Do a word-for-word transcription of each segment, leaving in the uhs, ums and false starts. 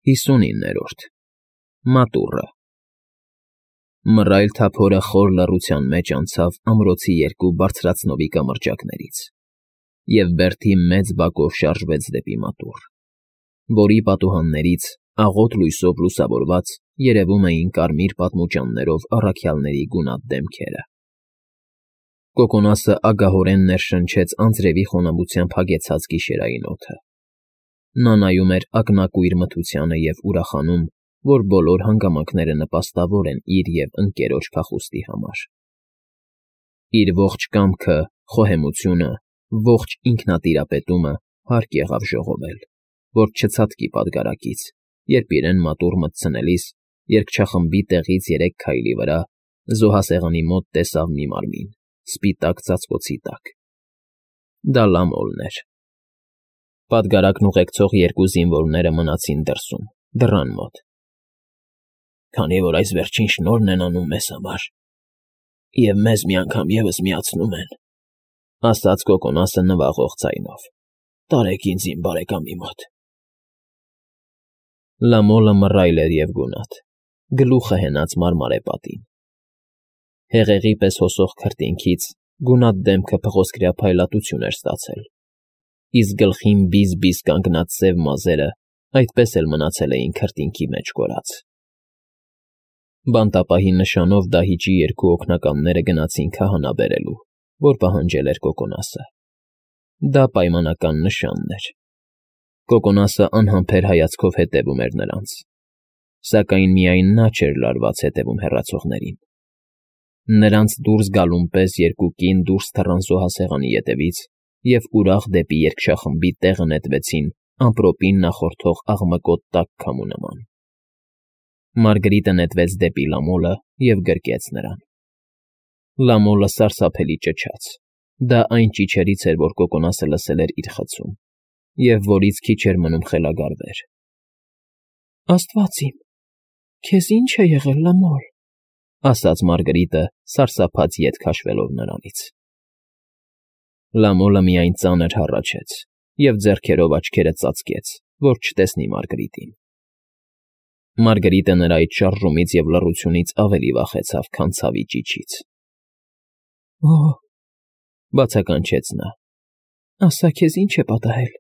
ՀԻՍՈՒՆԻՆՆԵՐՈՐԴ ՄԱՏՈՒՌԸ Մռայլ թափորը խոր լռության մեջ անցավ ամրոցի երկու բարձրացնովի կամրջակներից և Բերդի մեծ բակով շարժվեց դեպի մատուռ, որի պատուհաններից, աղոտ լույսով լուսավորված, երևում էին կարմիր պատմուճաններով առաքյալների գունատ դեմքերը։ Կոկոնասը ագահորեն ներշնչեց անձրևի խոնավությամբ հագեցած գիշերային օդը։ Նա նայում էր ակնակույր մթությանը և ուրախանում, որ բոլոր հանգամանքները նպաստավոր են իր և ընկերոջ փախուստի համար։ Իր ողջ կամքը, խոհեմությունը, ողջ ինքնատիրապետումը հարկ եղավ ժողովել, որ չցատկի պատգարակից, երբ իրեն մատուռ մտցնելիս երգչախմբի տեղից երեք քայլի վրա զոհասեղանի մոտ տեսավ մի մարմին, սպիտակ ծածկոցի տակ։ Դա Լամոլն էր։ Պատգարակն ուղեկցող երկու զինվորները մնացին դրսում, դռան մոտ։ «Քանի որ այս վերջին շնորհն են անում մեզ համար, և մեզ մի անգամ ևս միացնում են,֊ ասաց Կոկոնասը նվաղող ձայնով,֊ տարեք ինձ իմ բարեկամի մոտ»։ Լամոլը մռայլ էր և գունատ, գլուխը հենած մարմարե պատին։ Հեղեղի պես հոսող քրտինքից գունատ դեմքը փղոսկրյա փայլատություն էր ստացել, իսկ գլխին բիզ֊բիզ կանգնած սև մազերը այդպես էլ մնացել էին քրտինքի մեջ կորած։ Բանտապահի նշանով դահիճի երկու օգնականները գնացին քահանա բերելու, որ պահանջել էր Կոկոնասը։ Դա պայմանական նշանն էր։ Կոկոնասը անհամբեր հայացքով հետևում էր նրանց, սակայն միայն նա չէր լարված հետևում հեռացողներին։ Նրանց դուրս գալուն պես երկու կին դուրս թռան զոհասեղանի ետևից և ուրախ դեպի երգչախմբի տեղը նետվեցին ամպրոպին նախորդող աղմկոտ տաք քամու նման։ Մարգրիտը նետվեց դեպի Լամոլը և գրկեց նրան։ Լամոլը սարսափելի ճչաց։ Դա այն ճիչերից էր, որ Կոկոնասը լսել էր իր խցում, և որից քիչ էր մնում խելագարվեր։ «Աստված իմ, քեզ ի՞նչ է եղել, Լամոլ,֊ ասաց Մարգրիտը, սարսափած ետ քաշվելով նրանից։ Լամոլը միայն ծանր հառաչեց և ձեռքերով աչքերը ծածկեց, որ չտեսնի Մարգրիտին։ Մարգրիտը նրա այդ շարժումից և լռությունից ավելի վախեցավ, քան ցավի ճիչից։ «Օ՜,֊ բացականչեց նա,֊ ասա քեզ ինչ է պատահել,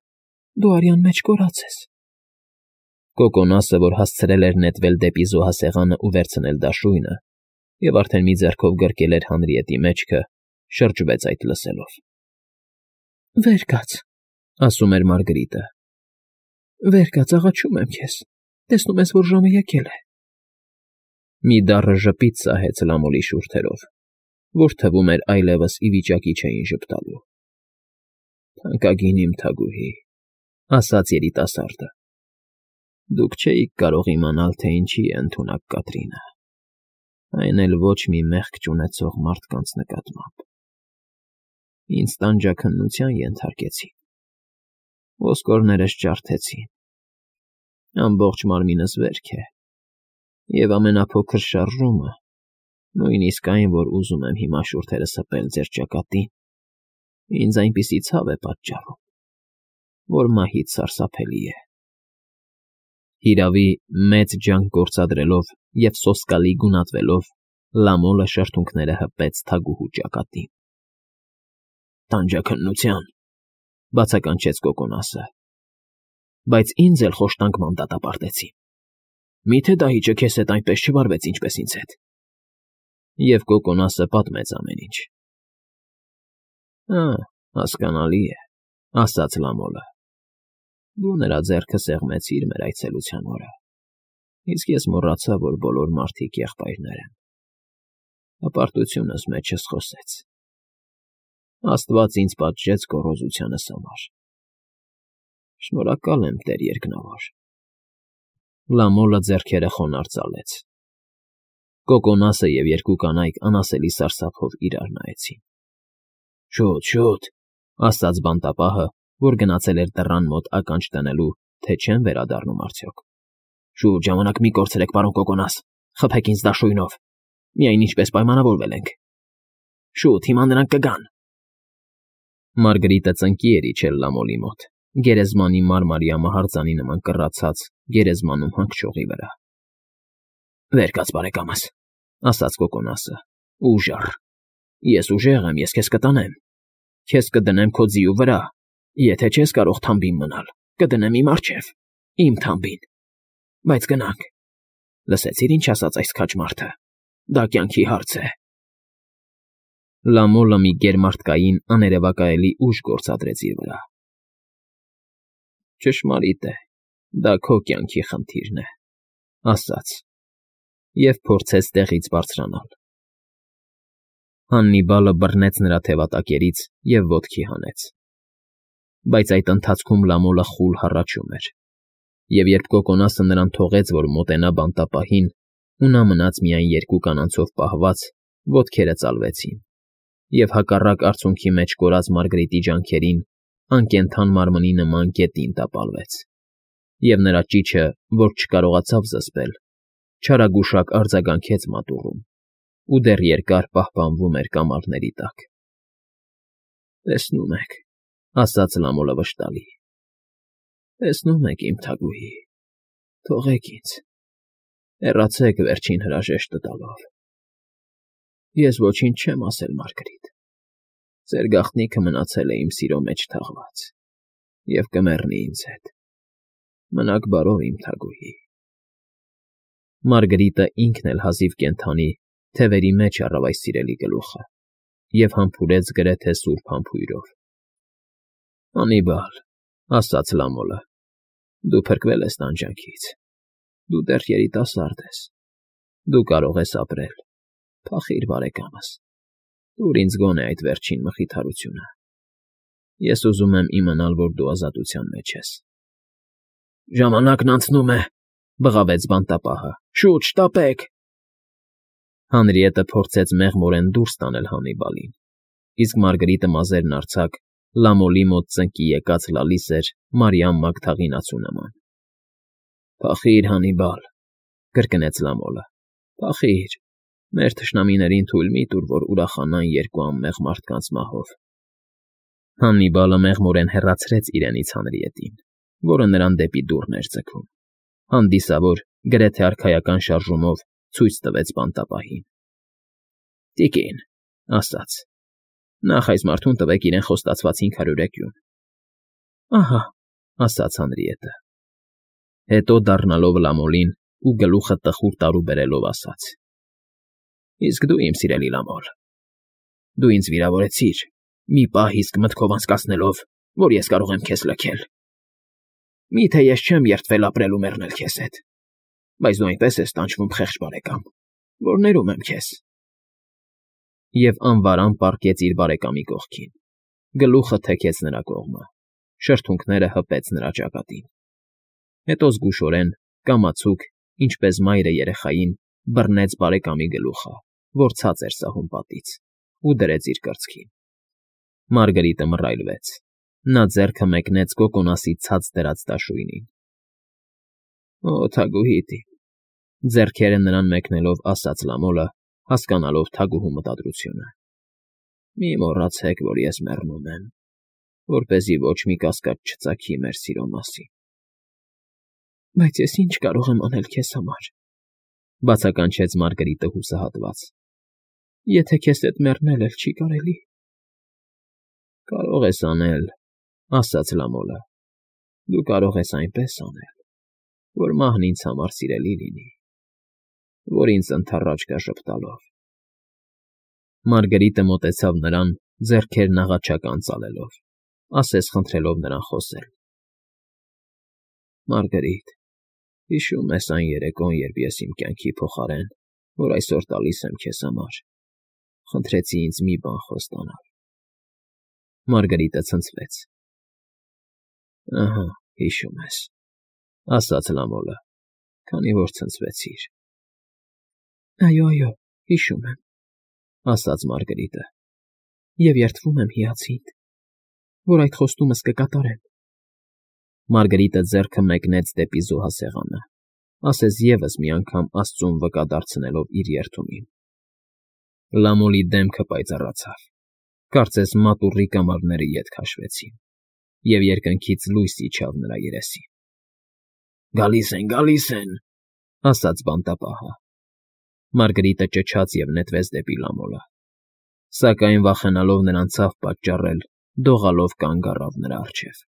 դու արյան մեջ կորած ես»։ Կոկոնասը, որ հասցրել էր նետվել դեպի զոհասեղանը ու վերցնել դաշույնը, և արդեն մի ձեռքով գրկել էր Հանրիետի մեջքը, շրջվեց այդ լսելով։ «Վեր կաց,֊ ասում էր Մարգրիտը,֊ վեր կաց, աղաչում եմ քեզ, տեսնում ես, որ ժամը եկել է»։ Մի դառը ժպիտ սահեց Լամոլի շուրթերով, որ թվում էր այլևս ի վիճակի չէին ժպտալու։ «Թանկագին իմ թագուհի,֊ ասաց երիտասարդը,֊ դուք չէիք կարող իմանալ, թե ինչի է ընդունակ Կատրինը, այն էլ ոչ մի մեղք չունեցող մարդկանց նկատմամբ։ Ինձ տանջաքննության ենթարկեցին, ոսկորներս ջարդեցին, ամբողջ մարմինս վերք է, և ամենափոքր շարժումը, նույնիսկ այն, որ ուզում եմ հիմա շուրթերս հպել ձեր ճակատին, ինձ այնպիսի ցավ է պատճառում, որ մահից սարսափելի է»։ Հիրավի, մեծ ջանք գործադրելով և սոսկալի գունատվելով, Լամոլը շրթունքները հպեց թագուհու ճակատին։ «Տանջաքննության,֊ բացականչեց Կոկոնասը,֊ բայց ինձ էլ խոշտանգման դատապարտեցին։ Մի՞թե դահիճը քեզ հետ այնպես չվարվեց, ինչպես ինձ հետ»։ Եվ Կոկոնասը պատմեց ամեն ինչ։ «Ա՛, հասկանալի է,֊ ասաց Լամոլը,֊ դու նրա ձեռքը սեղմեցիր մեր այցելության օրը, իսկ ես մոռացա, որ բոլոր մարդիկ եղբայրներ են։ Հպարտությունս մեջս խոսեց։ Աստված ինձ պատժեց գոռոզությանս համար։ Շնորհակալ եմ, տեր երկնավոր»։ Լամոլը ձեռքերը խոնարհ ծալեց։ Կոկոնասը և երկու կանայք անասելի սարսափով իրար նայեցին։ «Շուտ, շուտ,֊ ասաց բանտապահը, որ գնացել էր դռան մոտ ականջ դնելու, թե չեն վերադառնում արդյոք,֊ շուտ, ժամանակ մի կորցրեք, պարոն Կոկոնաս, խփեք ինձ դաշույնով, միայն ինչպես պայմանավորվել ենք։ Շուտ, հիմա նրանք կգան»։ Մարգրիտը ծնկի էր իջել Լամոլի մոտ, գերեզմանի մարմարյա մահարձանի նման կռացած գերեզմանում հանգչողի վրա։ ֊ Վեր կաց, բարեկամս,֊ ասաց Կոկոնասը, ուժառ, ես ուժեղ եմ, ես քեզ կտանեմ, քեզ կդնեմ քո ձիու վրա, եթե չես կարող թամբին մնալ, կդնեմ իմ առջև, իմ թամբին, բայց գնանք, լսեցի՞ր ինչ ասաց այս քաջ մարդը, դա կյանքի հարց է… Լամոլը մի գերմարդկային աներևակայելի ուժ գործադրեց իր վրա։ ֊ Ճշմարիտ է, դա քո կյանքի խնդիրն է,֊ ասաց և փորձեց տեղից բարձրանալ։ Հաննիբալը բռնեց նրա թևատակերից և ոտքի հանեց։ Բայց այդ ընթացքում Լամոլը խուլ հառաչում էր, և երբ Կոկոնասը նրան թողեց, որ մոտենա բանտապահին, ու նա մնաց միայն երկու կանանցով պահված, ոտքերը ծալվեցին, և հակառակ արցունքի մեջ կորած Մարգարիտի ջանքերին անկենդան մարմնի նման գետին տապալվեց, և նրա ճիչը, որ չկարողացավ զսպել, չարագուշակ արձագանքեց մատուռում ու դեռ երկար պահպանվում էր կամարների տակ։ ֊ Տեսնում եք,֊ ասաց Լամոլը վշտալի,֊ տեսնում եք, իմ թագուհի, թողեք ինձ, հեռացեք վերջին հրաժեշտը տալով… Ես ոչինչ չեմ ասել, Մարգարիտ, ձեր գաղտնիքը մնացել է իմ սիրո մեջ թաղված և կմեռնի ինձ հետ… Մնաք բարով, իմ թագուհի… Մարգարիտը ինքն էլ հազիվ կենդանի թևերի մեջ առավ այս սիրելի գլուխը և համբուրեց գրեթե սուրբ համբույրով։ ֊ Հաննիբալ,֊ ասաց Լամոլը,֊ դու փրկվել ես տանջանքից, դու դեռ երիտասարդ ես, դու կարող ես ապրել, փախիր, բարեկամս, տուր ինձ գոնե այդ վերջին մխիթարությունը… Ես ուզում եմ իմանալ, որ դու ազատության մեջ ես… ֊ Ժամանակն անցնում է,֊ բղավեց բանտապահը,֊ շուտ շտապեք… Հանրիետը փորձեց մեղմորեն դուրս տանել Հաննիբալին, իսկ Մարգարիտը մազերն արձակ Լամոլի մոտ ծնկի եկած լալիս էր Մարիամ Մագդաղինացու նման։ ֊ Փախիր, Հաննիբալ,֊ կրկնեց Լամոլը,֊ փախիր, մեր թշնամիներին թույլ մի տուր, որ ուրախանան երկու անմեղ մարդկանց մահով… Հաննիբալը մեղմորեն հեռացրեց իրենից Հանրիետին, որը նրան դեպի դուռն էր ձգում, հանդիսավոր, գրեթե արքայական շարժումով ցույց տվեց բանտապահին։ ֊ Տիկին,֊ ասաց,֊ նախ այս մարդուն տվեք իրեն խոստացված հինգ հարյուր էկյուն։ ֊ Ահա,֊ ասաց Հանրիետը։ Հետո դառնալով Լամոլին ու գլուխը տխուր տարուբերելով ասաց. Իսկ դու, իմ սիրելի Լամոլ, դու ինձ վիրավորեցիր, մի պահ իսկ մտքով անցկացնելով, որ ես կարող եմ քեզ լքել… Մի՞թե ես չեմ երդվել ապրել ու մեռնել քեզ հետ, բայց դու այնպես ես տանջվում, խեղճ բարեկամ, որ ներում եմ քեզ… Եվ անվարան պառկեց իր բարեկամի կողքին, գլուխը թեքեց նրա կողմը, շրթունքները հպեց նրա ճակատին… Հետո զգուշորեն, կամացուկ, ինչպես մայրը երեխային, բռնեց բարեկամի գլուխը, որ ցած էր սահում պատից, ու դրեց իր կրծքին… Մարգարիտը մռայլվեց, նա ձեռքը մեկնեց Կոկոնասի ցած դրած դաշույնին։ ֊ Օ, թագուհիդ իմ,֊ ձեռքերը նրան մեկնելով ասաց Լամոլը, հասկանալով թագուհու մտադրությունը,֊ մի մոռացեք, որ ես մեռնում եմ, որպեսզի ոչ մի կասկած չծագի մեր սիրո մասին… ֊ Բայց ես ի՞նչ կարող եմ անել քեզ համար,֊ բացականչեց Մարգարիտը հուսահատված,֊ եթե քեզ հետ մեռնել էլ չի կարելի… ֊ Կարող ես անել,֊ ասաց Լամոլը,֊ դու կարող ես այնպես անել, որ մահն ինձ համար սիրելի լինի, որ ինձ ընդառաջ գա ժպտալով… Մարգարիտը մոտեցավ նրան, ձեռքերն աղաչական ծալելով, ասես խնդրելով նրան խոսել. ֊ Մարգարիտ, հիշո՞ւմ ես այն երեկոն, երբ ես իմ կյանքի փոխարեն, որ այսօր տալիս եմ քեզ համար, խնդրեցի ինձ մի բան խոստանալ… Մարգարիտը ցնցվեց։ ֊ Ահա, հիշում ես,֊ ասաց Լամոլը, քանի որ ցնցվեցիր… ֊ Այո, այո, հիշում եմ,֊ ասաց Մարգարիտը,֊ և երդվում եմ հիացիդ, որ այդ խոստումս կկատարեմ… Մարգարիտը ձեռքը մեկնեց դեպի զոհասեղանը, ասես ևս մի անգամ աստծուն վկա դարձնելով իր երդումին… Լամոլի դեմքը պայծառացավ, կարծես մատուռի կամարները ետ քաշվեցին, և երկնքից լույս իջավ նրա երեսին։ ֊ Գալիս են, գալիս են,֊ ասաց բանտապահը։ Մարգարիտը ճչաց և նետվեց դեպի Լամոլը, սակայն, վախենալով նրան ցավ պատճառել, դողալով կանգ առավ նրա առջև։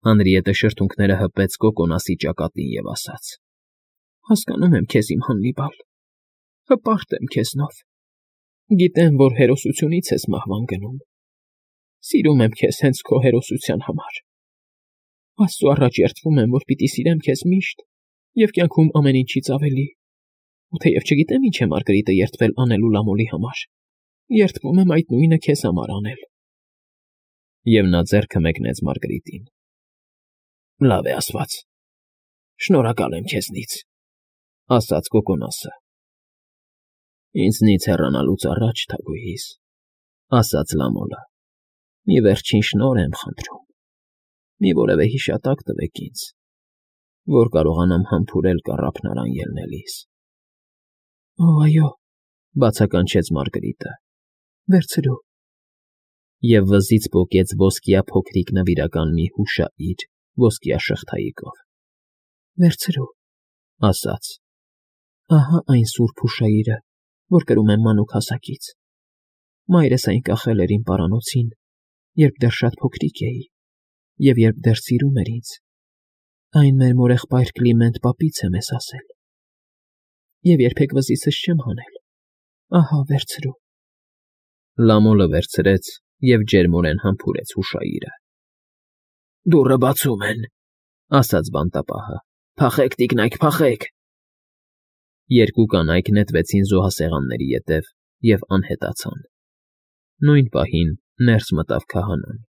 Հանրիետը շրթունքները հպեց կոկոնասի ճակատին և ասաց. ֊ Հասկանում եմ քեզ, իմ Հաննիբալ, հպարտ եմ քեզնով, գիտեմ, որ հերոսությունից ես մահվան գնում, սիրում եմ քեզ հենց քո հերոսության համար, Աստծու առաջ երդվում եմ, որ պիտի սիրեմ քեզ միշտ և կյանքում ամեն ինչից ավելի, ու թեև չգիտեմ ինչ է Մարգարիտը երդվել անելու Լամոլի համար, երդվում եմ այդ նույնը քեզ համար անել։ Եվ նա ձեռքը մեկնեց Մարգարիտին։ ֊ Լավ է ասված, շնորհակալ եմ քեզնից,֊ ասաց կոկոնասը։ ֊ Ինձնից հեռանալուց առաջ, թագուհիս,֊ ասաց Լամոլը,֊ մի վերջին շնորհ եմ խնդրում, մի որևէ հիշատակ տվեք ինձ, որ կարողանամ համբուրել կառափն ելնելիս։ ֊ Օ, այո,֊ բացականչեց Մարգարիտը,֊ վերցրու…֊ Եվ վզից պոկեց ոսկյա փոքրիկ նվիրական մի հուշահիր ոսկյա շղթայիկով։ ֊ Վերցրու…֊ ասաց։֊ Ահա այն սուրբ հուշահիրը, որ կրում եմ մանուկ հասակից, մայրս այն կախել էր իմ պարանոցին, երբ դեռ շատ փոքրիկ էի, և երբ դեռ սիրում էր ինձ, այն մեր մորեղբայր Կլիմենտ պապից է մեզ ասել, և երբեք վզիցս չեմ հանել, ահա վերցրու… Լամոլը վերցրեց և ջերմորեն համբուրեց հուշահիրը։ ֊ Դուռը բացում են,֊ ասաց բանտապահը,֊ փախեք, տիկնայք, փախեք… Երկու կանայք նետվեցին զոհասեղանների ետև և անհետացան։ Նույն պահին ներս մտավ քահանան։